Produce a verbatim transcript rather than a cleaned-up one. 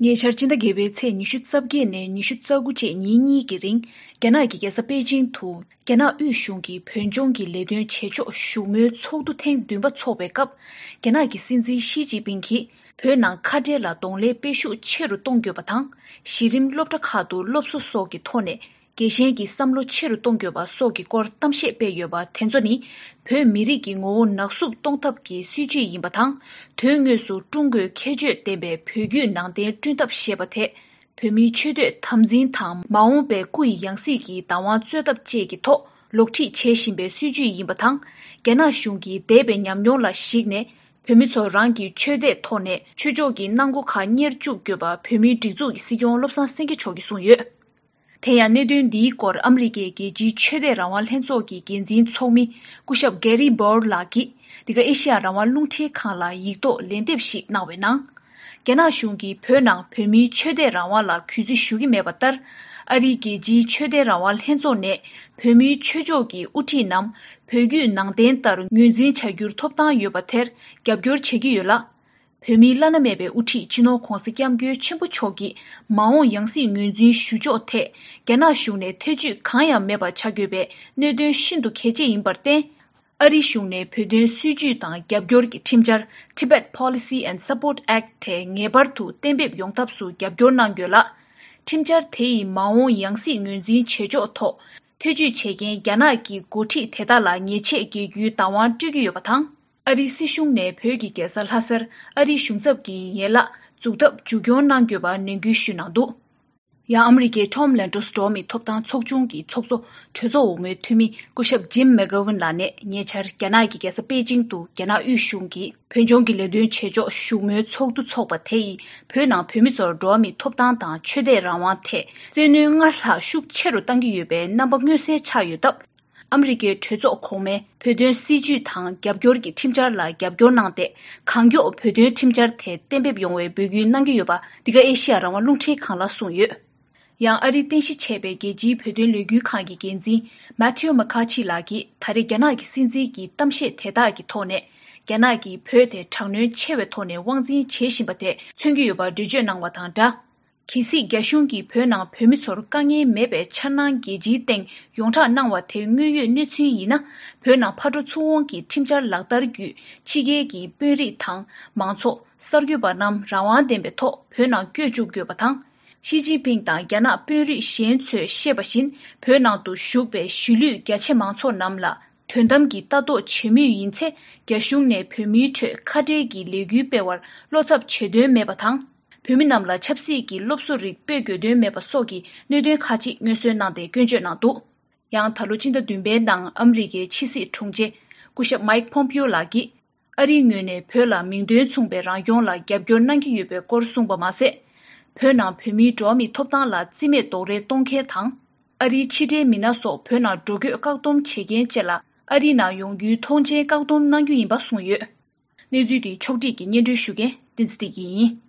ཉེ་ཆར་སྤྱི་ཟླ་བརྒྱད་པའི་ཚེས་ཉི་ཤུ་རྩ་བརྒྱད་ནས་ཉི་ཤུ་རྩ་དགུ་བཅས་ཉིན་གཉིས་ཀྱི་རིང་། རྒྱ་ནག་གི་རྒྱལ་ས་པེ་ཅིང་དུ་རྒྱ་ནག་དབུས་གཞུང་གི་བོད་ལྗོངས་ཀྱི་ལས་དོན་བྱེད་ཕྱོགས་བཞུགས་མོལ་ཚོགས་འདུ་ཐེངས་བདུན་པ་འཚོགས་པའི་སྐབས། རྒྱ་ནག་གི་སྲིད་འཛིན་ཞི་ཅིན་ཕིང་གིས་བོད་ནང་ཁ་བྲལ་ལ་གདོང་ལེན་སྤེལ་ཤུགས་ཆེ་རུ་གཏོང་དགོས་པ་དང་། གཞི་རིམ་སློབ་གྲྭ་ཁག་ཏུ་སློབ་གསོ་སོགས་ཀྱི་ཐོག་ནས། རྒྱལ་ཞེན་གྱི་བསམ་བློ་ཆེ་རུ་གཏོང་དགོས་པ་སོགས་ཀྱི་སྐོར་གཏམ་བཤད་སྤེལ་ཡོད་པ་དེ་ཚོ་ནི། བོད་མི་རིགས་ཀྱི་ངོ་བོ་ནག་བསུབ་གཏོང་ཐབས་ཀྱི་སྲིད་ཇུས་ཡིན་པ་དང་། དོན་དངོས་སུ་ཀྲུང་གོས་ཁྱད་ཆོས་ལྡན་པའི་བོད་བརྒྱུད་ནང་བསྟན་བསྐྲུན་ཐབས་ཞེས་པ་དེ། བོད་མིའི་ཆོས་དད་དམ་འཛིན་དང་མ་འོངས་པའི་སྐུ་ཡི་ཡང་སྲིད་ཀྱི་བདག་དབང་རྩོད་ཐབས་བཅས་ཀྱི་ཐོག་ལོག་ཁྲིད་བྱེད་བཞིན་པའི་སྲིད་ཇུས་ཡིན་པ་དང་། རྒྱ་ནག་གཞུང་གིས་འདས་པའི་ཉམས་མྱོང་ལ་གཞིགས་ནས། བོད་མི་ཚོ་རང་གི་ཆོས་དད་ཐོག་ནས་ཆོས་ཕྱོགས་ཀྱི་གནང་སྒོ་ཁག་གཉེར་བཅུག་དགོས་པ། བོད་མིའི་སྒྲིག་འཛུགས་ཀྱི་སྲིད་སྐྱོང་བློ་བཟང་སེང་གེ་མཆོག་གིས་གསུངས་ཡོད། དེ་ཡང་གནད་དོན་འདིའི་སྐོར་ཨ་མི་རི་ཀའི་རྒྱལ་སྤྱིའི་ཆོས་དད་རང་དབང་ལྷན་ཚོགས་ཀྱི་འགན་འཛིན་ཚོགས་མི་སྐུ་ཞབས་Gary Bauer ལགས་ཀྱིས། འདི་ག་ཨེ་ཤི་ཡ་རང་དབང་རླུང་འཕྲིན་ཁང་ལ་ཡིག་ཐོག་ལན་འདེབས་ཤིག་གནང་བའི་ནང་། རྒྱ་ནག་གཞུང་གིས་བོད་ནང་བོད་མིའི་ཆོས་དད་རང་དབང་ལ་གུས་བརྩི་ཞུ་གི་མེད་པ་ལྟར། ཨ་རིའི་རྒྱལ་སྤྱིའི་ཆོས་དད་རང་དབང་ལྷན་ཚོགས་ནས་བོད་མིའི་ཆོས་ཕྱོགས་ཀྱི་དབུ་ཁྲིད་རྣམས་བོད་བརྒྱུད་ནང་བསྟན་ལྟར་ངོས་འཛིན་བྱ་རྒྱུར་ཐོབ་ཐང་ཡོད་པ་དེར་རྒྱབ་སྐྱོར་བྱེད་ཀྱི་ཡོད་ལ། བོད་མིའི་བླ་ན་མེད་པའི་དབུ་ཁྲིད་སྤྱི་ནོར་༧གོང་ས་༧སྐྱབས་མགོན་ཆེན་པོ་མཆོག་གིས་མ་འོངས་ཡང་སྲིད་ངོས་འཛིན་ཞུ་ཕྱོགས་ཐད་རྒྱ་ནག་གཞུང་ནས་ཐེ་བྱུས་གང་ཡང་མེད་པ་བྱ་དགོས་པའི་གནད་དོན་ཤིན་ཏུ་གལ་ཆེ་ཡིན་པར་བརྟེན། ཨ་རིའི་གཞུང་ནས་བོད་དོན་སྲིད་ཇུས་དང་རྒྱབ་སྐྱོར་གྱི་ཁྲིམས་འཆར་Tibet Policy and Support Act དེ་ངེས་པར་དུ་གཏན་འབེབས་ཡོང་ཐབས་སུ་རྒྱབ་སྐྱོར་གནང་དགོས་ལ། ཁྲིམས་འཆར་དེ་ཡིས་མ་འོངས་ཡང་སྲིད་ངོས་འཛིན་བྱེད་ཕྱོགས་ཐོག་ཐེ་བྱུས་བྱེད་མཁན་རྒྱ་ནག་གི་འགོ་ཁྲིད་དེ་དག་ལ་ཉེས་ཆད་འགེལ་རྒྱུའི་བདག་དབང་སྤྲོད་ཀྱི་ཡོད་པ་དང་། ཨ་རིའི་སྲིད་གཞུང་ནས་བོད་ཀྱི་རྒྱལ་ས་ལྷ་སར་ཨ་རིའི་གཞུང་ཚབ་ཀྱི་ཡན་ལག་འཛུགས་ཐབས་མཇུག་སྐྱོང་གནང་དགོས་པ་ནན་སྐུལ་ཞུས་གནང་འདུག་ཡང་ཨ་མི་རི་ཀའི་Tom Lantos འགྲོ་བ་མིའི་ཐོབ་ཐང་ཚོགས་ཆུང་གི་ཚོགས་གཙོ་གྲོས་ཚོགས་འོག་མའི་འཐུས་མི་སྐུ་ཞབས་Jim McGovern ལགས་ནས་ཉེ་ཆར་རྒྱ་ནག་གི་རྒྱལ་ས་པེ་ཅིང་དུ་རྒྱ་ནག་དབུས་གཞུང་གིས་བོད་ལྗོངས་ཀྱི་ལས་དོན་བྱེད་ཕྱོགས་བཞུགས་མོལ་ཚོགས་འདུ་འཚོགས་པ་དེ་ཡིས་བོད་ནང་བོད་མི་ཚོར་འགྲོ་བ་མིའི་ཐོབ་ཐང་དང་ཆོས་དད་རང་དབང་ཐད་བཙན་གནོན་སྔར་ལྷག་ཤུགས་ཆེ་རུ་གཏང་གི་ཡོད་པའི་རྣམ་པ་མངོན་གསལ་ཆགས་ཡོད་སྟབས། ཨ་མི་རི་ཀའི་གྲོས་ཚོགས་གོང་མའི་བོད་དོན་སྲིད་ཇུས་དང་རྒྱབ་སྐྱོར་གྱི་ཁྲིམས་འཆར་ལ་རྒྱབ་སྐྱོར་གནང་སྟེ། གང་མགྱོགས་བོད་དོན་ཁྲིམས་འཆར་དེ་གཏན་འབེབས་ཡོང་བའི་འབོད་སྐུལ་གནང་གི་ཡོད་པ། འདི་ག་ཨེ་ཤི་ཡ་རང་དབང་རླུང་འཕྲིན་ཁང་ལ་གསུངས་ཡོད། ཡང་ཨ་རིའི་རྟེན་གཞི་བྱས་པའི་རྒྱལ་སྤྱིའི་བོད་དོན་ལས་འགུལ་ཁང་གི་འགན་འཛིན་Matthew McCaughey ལགས་ཀྱིས་ད་རེས་རྒྱ་ནག་གི་སྲིད་འཛིན་གྱི་གཏམ་བཤད་དེ་དག་གི་ཐོག་ནས། རྒྱ་ནག་གིས་བོད་དེ་དྲག་གནོན་ཆེ་བའི་ཐོག་ནས་དབང་འཛིན་བྱེད་བཞིན་པ་དེ་མཚོན་གྱི་ཡོད་པར་འགྲེལ་བརྗོད་གནང་བ་དང་སྦྲགས། གལ་སྲིད་རྒྱ་གཞུང་གིས་བོད་ནང་བོད་མི་ཚོར་དཀའ་ངལ་མེད་པའི་འཆར་སྣང་རྒྱལ་སྤྱིའི་སྟེང་ཡོངས་གྲགས་གནང་བ་དེ་དངོས་ཡོད་གནས་ཚུལ་ཡིན་ན། བོད་ནང་ཕར་འགྲོ་ཚུར་འོང་གི་ཁྲིམས་འཆར་ལག་བསྟར་བརྒྱུད། ཕྱི་རྒྱལ་གྱི་དཔོན་རིགས་དང་མང་ཚོགས་གསར་འགོད་པ་རྣམས་རང་དབང་ལྡན་པའི་ཐོག་བོད་ནང་བསྐྱོད་བཅུག་དགོས་པ་དང་། ཞི་ཅིན་ཕིང་དང་རྒྱ་ནག་དཔོན་རིགས་གཞན་ཚོས་བཤད་པ་བཞིན། བོད་ནང་དུ་བཞུགས་པའི་གཞིས་ལུས་རྒྱ་ཆེ་མང་ཚོགས་རྣམས་ལ། དོན་དམ་གྱི་ལྟ་རྟོག་བྱེད་མུས་ཡིན་ཚེ། རྒྱ་གཞུང་ནས་བོད་མིའི་ཁྲོད་ཁ་བྲལ་གྱི་ལས་འགུལ་སྤེལ་བར་བློ་འཚབ་བྱེད་དོན་མེད་པ་དང་། བོད་མི་རྣམས་ལ་ཆབ་སྲིད་ཀྱི་སློབ་གསོ་རིགས་སྤེལ་དགོས་དོན་མེད་པ་སོགས་ཀྱི་གནད་དོན་ཁག་ཅིག་སྔོན་གསོལ་གནང་སྟེ་སྐྱོན་བརྗོད་གནང་འདུག་ཡང་ད་ལོ་སྤྱི་ཟླ་བདུན་པའི་ནང་ཨ་མི་རི་ཀའི་ཕྱི་སྲིད་དྲུང་ཆེ་སྐུ་ཞབས་Mike Pompeo ལགས་ཀྱིས། ཨ་རིའི་ངོས་ནས་བོད་ལ་མིང་དོན་མཚུངས་པའི་རང་སྐྱོང་ལ་རྒྱབ་སྐྱོར་གནང་གི་ཡོད་པའི་སྐོར་གསུངས་པ་མ་ཟད། བོད་ནང་བོད་མིའི་འགྲོ་བ་མིའི་ཐོབ་ཐང་ལ་རྩིས་མེད་རྡོག་རོལ་གཏོང་མཁན་དང་། ཨ་རིའི་ཕྱི་འབྲེལ་མི་སྣ་སོགས་བོད་ནང་འགྲོ་སྐྱོད་བཀག་སྡོམ་བྱེད་མཁན་བཅས་ལ་ཨ་རི་ནང་ཡོང་རྒྱུའི་ཐོངས་མཆན་བཀག་སྡོམ་གནང་རྒྱུ་ཡིན་པ་གསུངས་ཡོད། གནས་ཚུལ་འདི་ཕྱོགས་སྒྲིག་གིས་སྙན་སྒྲོན་ཞུ་མཁན་བསྟན་འཛིན་བདེ་སྐྱིད་ཡིན།